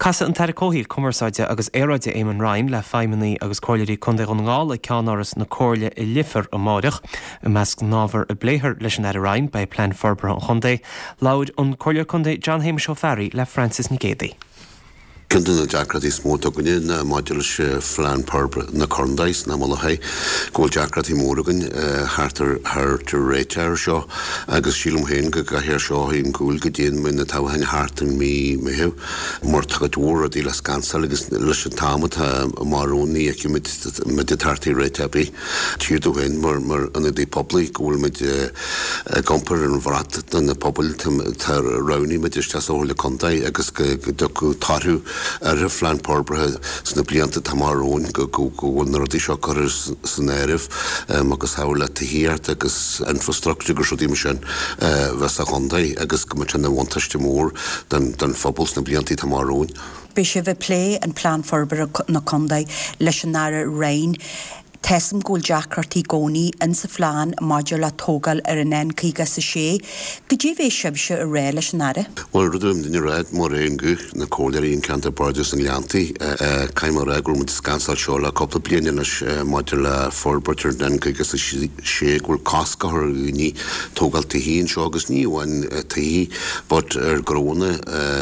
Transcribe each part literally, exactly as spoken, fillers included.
Casfaidh an tAire Comhshaoil, Cumarsáide agus Aeráide Eamon Ryan le feidhmeannaigh agus comhairleoirí Contae Dhún na nGall ag ceannáras na Comhairle i Leifear amárach. I measc na n-ábhar a bpléifear leis an Aire Ryan beidh plean forbartha an chontae. Labhair an Comhairleoir Contae John Shéamuis Ó Fearraigh le Francis Nic Géadaigh. Ceann de na deacrachtaí is mó atá againne ná maidir leis phlean forbartha na contae sna Mullachaí, go bhfuil deacrachtaí mór againn thart ar thart ar réiteach air seo agus sílim féin go gcaithfear seo a ghabháil go dtí na toghcháin thart in mí Meitheamh mar tá cuid mhór rudaí le scansáil agus leis an t-am atá amach romhainn ní fheicimid muid ag teacht ar réiteach ar bith. Tchítear domh féin mar mar ionadaí poiblí go bhfuil muid ag iompar an bhrat do na pobail tá roghnaigh muid isteach sa Chomhairle Contae agus go dtiocfadh toradh ar an phlean forbartha sna blianta atá amach romhainn go bhfuil na rudaí seo curtha san áireamh agus thabhair le tithíocht agus infrastructure agus rudaí mar sin bheith sa chontae agus go mbeadh sé ina bhuntáiste mór don phobal sna blianta atá amach romhainn. Beidh sibh ag plé an plean forbartha na contae leis an Aire Ryan. Tá a fhios agam go bhfuil deacrachtaí i gcónaí in sa phlean maidir le tógáil ar an N caoga is a sé. Goidé a bheidh sibhse a rá leis an Aire? Bhuel, rud a bhí duine a rá mar aon guth na comhairleoirí an ceantar Bardais na nGleanntaí, caithfidh mé a rá go raibh muid ag scansáil seo le cúpla bliain anois maidir le forbairt ar an N caoga is a sé go bhfuil cosc á chur ar dhaoine tógáil tithí anseo agus ní amháin tithí but ar gnónna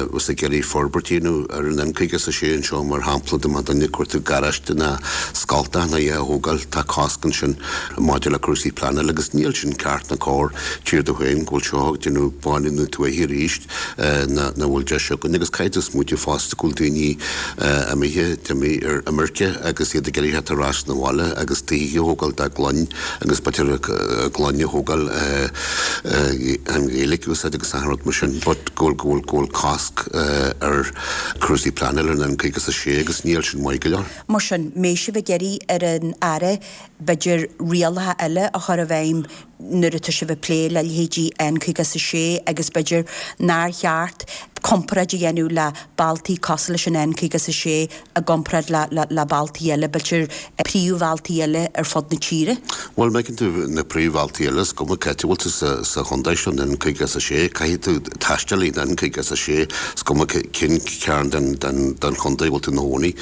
agus ag iarraidh forbairt a dhéanamh ar an N caoga is a sé anseo mar shampla dá mbeadh duine ag cuartú garáiste ná scoltach ná é a thógáil tá cosc ansin maidir le cúrsaí pleanála agus níl sin ceart ná cóir tchítear domh féin go bhfuil seo ag déanamh bánú na tuaithe arís ná bhfuil deis againn agus caithfidh tú smaoitiú fosta go bhfuil daoine imithe d'imigh ar imirce agus iad ag iarraidh theacht ar ais 'na bhaile agus tithí a thógáil dá gclann agus b'fhéidir a gclann a thógáil an Ghaeilge a úsáid agus achan rud mar sin but go bhfuil go bhfuil go bhfuil cosc ar cúrsaí pleanála ar an N caoga is a sé agus níl sin maith go leor. Mar sin, mbeidh sibh ag iarraidh ar an Aire b'fhéidir rialacha eile a chur i bhfeidhm nuair atá sibh ag plé le leithéidí N caoga is a sé agus b'fhéidir nár cheart comparáid a dhéanamh le bealtaí cosúil leis an N caoga is a sé i gcomparáid le le le bealtaí eile, b'fhéidir príomhbhealtaí eile ar fud na tíre. Bhuel, má fheiceann tú na príomhbhealtaí eile, is cuma cá háit a bhfuil tú sa sa chontae seo, an N caoga is a sé, caithfidh tú taisteal ar an N caoga is a sé, is cuma cén cearn den den den chontae a bhfuil tú ina chónaí.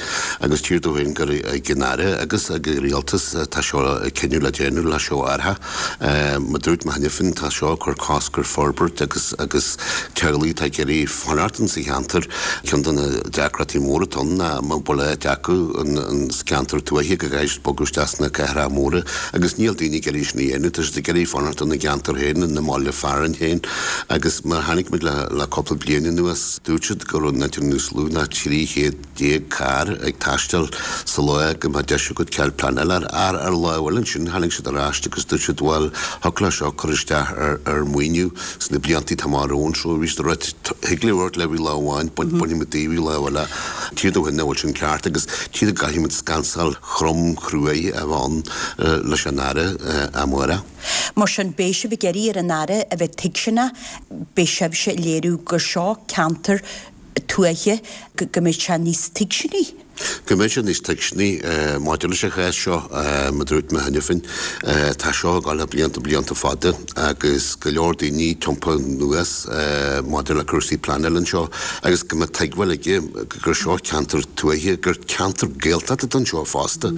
Agus tchítear domh féin gur ag an Aire agus ag an Rialtas atá seo cinneadh le déanamh le seo a athrú. Mar a dúirt mé cheana féin, tá seo ag cur cosc ar forbairt agus agus teaghlaigh atá ag iarraidh fanacht in sa cheantar. Ceann de na deacrachtaí móra atá ann ná má bhfuil áit acu in sa ceantar tuaithe go gcaithfidh siad bogadh isteach sna cathracha móra agus níl daoine ag iarraidh sin a dhéanamh, tá siad ag iarraidh fanacht ina gceantar féin, ina mbaile fearainn féin agus mar a chonaic muid le le cúpla bliain anuas, dúirt siad go raibh níos lú ná trí chéad déag carr ag taisteal sa lá go mbeadh deis agat cead pleanála ar ar lá amháin ansin tháinig siad ar ais agus dúirt siad bhuel thiocfadh le seo cur isteach ar ar maoiniú sna blianta atá amach romhainn so bhí siad ag rá thig libh amharc libh lá amháin bainfidh muid daoibh lá eile tchítear domh féin nach bhfuil sin ceart agus tchítear go gcaithfidh muid scansáil throm chruaidh a bheith ann leis an Aire amárach. Mar sin beidh sibh ag iarraidh ar an Aire a bheith tuigseanach, beidh sibhse ag léiriú gur seo ceantar tuaithe, go mbeidh sé níos tuigseanaí. Go mbeidh sé níos tuigseanaí maidir leis an chás seo, mar a dúirt mé cheana féin, tá seo ag dul le blianta blianta fada agus go leor daoine tiompaithe anuas maidir le cúrsaí pleanála anseo agus go mbeadh tuigbheáil aige gur seo ceantar tuaithe, gur ceantar Gaeltachta atá anseo fosta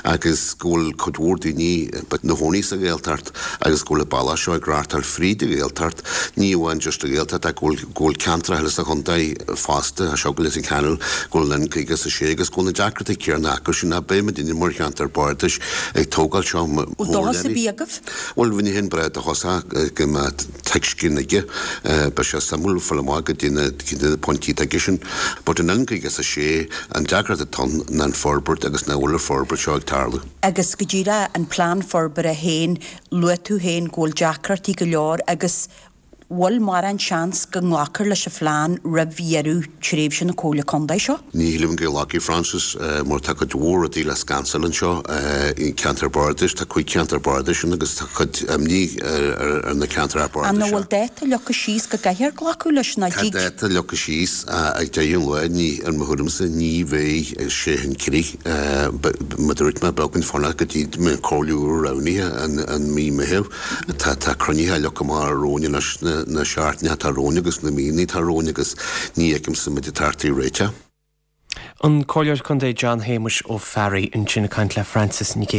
agus go bhfuil cuid mhór daoine ina gcónaí sa Ghaeltacht agus go bhfuil an bealach seo ag reáchtáil fríd an Ghaeltacht, ní amháin just an Ghaeltacht ach go bhfuil go bhfuil ceantracha eile sa chontae fosta, seo go Leitir Ceanainn, go bhfuil an N caoga is a sé agus go bhfuil na deacrachtaí céanna acu sin ach beidh muidinne mar cheantar bardais ag tógáil seo Bhfuil dóchas ar bith agaibh? Bhuel, bheinn féin breá dóchasach go mbeadh tuiscint aige, beidh sé suimiúil fáil amach goidé na goidé na pointí atá aige sin. But an N caoga is a sé, an deacracht atá ann ná an forbairt agus nach bhfuil an forbairt seo ag tarlú. Agus go díreach an plean forbartha féin, luaigh tú féin go bhfuil deacrachtaí go leor agus bhfuil mórán seans go nglacfar leis an phlean roimh dheireadh tréimhse na Comhairle Contae seo? Ní shílim go nglacfaidh Francis mar tá cuid mhór rudaí le scansáil anseo i gceantar bardais, tá cúig cheantar bardais ann agus tá cuid imní ar na ceantracha bardais An bhfuil dáta leagtha síos go gcaithfear glacadh leis nó Tá dtig? dáta leagtha síos ag deireadh an lae, ní, in mo thuairimse, ní bheidh sé chun crích. Mar a dúirt mé, beidh againn fanacht go dtí go mbeidh an Comhairle úr roghnaithe in mí Meitheamh. Tá tá cruinnithe leagtha amach romhainn anois na seachtainí atá romhainn agus na míonna atá romhainn agus ní fheicimse muid ag teacht ar réiteach. An Comhairleoir Contae John Shéamuis Ó Fearraigh ansin ag caint le Francis Nic